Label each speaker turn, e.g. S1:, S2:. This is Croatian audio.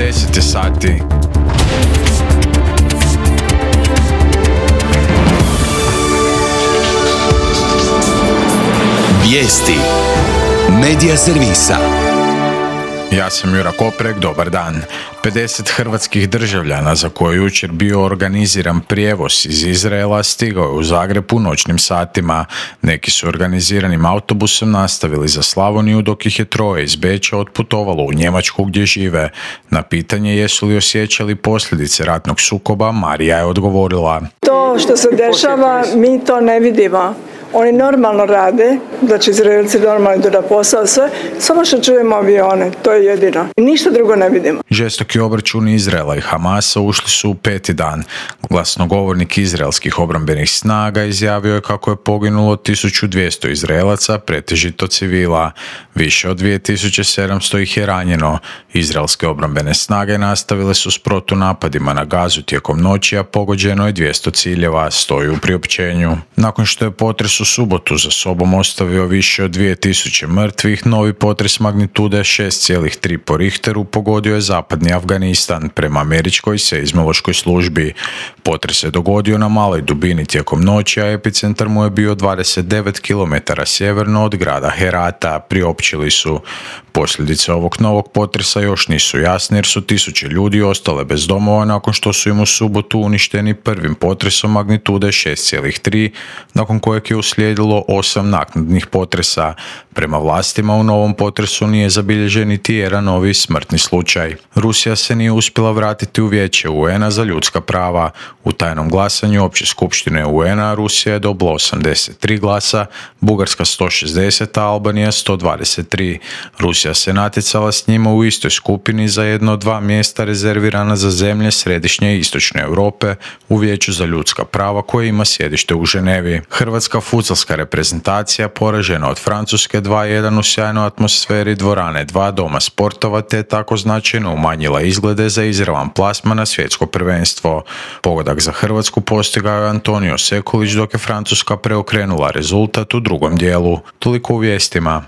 S1: 10 je sati.
S2: Vijesti Medija servisa.
S1: Ja sam Jura Koprek, dobar dan. 50 hrvatskih državljana za koje je jučer bio organiziran prijevoz iz Izraela stigao je u Zagreb u noćnim satima. Neki su organiziranim autobusom nastavili za Slavoniju, dok ih je 3 iz Beča otputovalo u Njemačku gdje žive. Na pitanje jesu li osjećali posljedice ratnog sukoba, Marija je odgovorila:
S3: To što se dešava, mi to ne vidimo. Oni normalno rade, znači Izraelci normalno idu na posao, sve, samo što čujemo avione, to je jedino. Ništa drugo ne vidimo.
S1: Žestoki obračun Izraela i Hamasa ušli su u 5. dan. Glasnogovornik izraelskih obrambenih snaga izjavio je kako je poginulo 1200 Izraelaca, pretežito civila. Više od 2700 ih je ranjeno. Izraelske obrambene snage nastavile su s protunapadima na Gazu tijekom noći, a pogođeno je 200 ciljeva, stoji u priopćenju. Nakon što je potres u subotu za sobom ostavio više od 2000 mrtvih, novi potres magnitude 6,3 po Richteru pogodio je zapadni Afganistan, prema američkoj seizmološkoj službi. Potres se dogodio na maloj dubini tijekom noći, a epicentar mu je bio 29 km sjeverno od grada Herata, priopćili su. Posljedice ovog novog potresa još nisu jasne jer su tisuće ljudi ostale bez domova nakon što su im u subotu uništeni prvim potresom magnitude 6,3, nakon kojeg je uslijedilo 8 naknadnih potresa. Prema vlastima u novom potresu nije zabilježen niti jedan novi smrtni slučaj. Rusija se nije uspjela vratiti u Vijeće UN-a za ljudska prava. U tajnom glasanju Opće skupštine UN-a Rusija je dobila 83 glasa, Bugarska 160, a Albanija 123. Rusija se natjecala s njima u istoj skupini za jedno od 2 mjesta rezervirana za zemlje središnje i istočne Europe u Vijeću za ljudska prava koje ima sjedište u Ženevi. Hrvatska fudbalska reprezentacija poražena od Francuske 2:1 u sjajnoj atmosferi dvorane 2 Doma sportova te tako značajno umanjila izglede za izravan plasman na svjetsko prvenstvo. Pogodak za Hrvatsku postigao je Antonio Sekulić dok je Francuska preokrenula rezultat u drugom dijelu. Toliko u vijestima.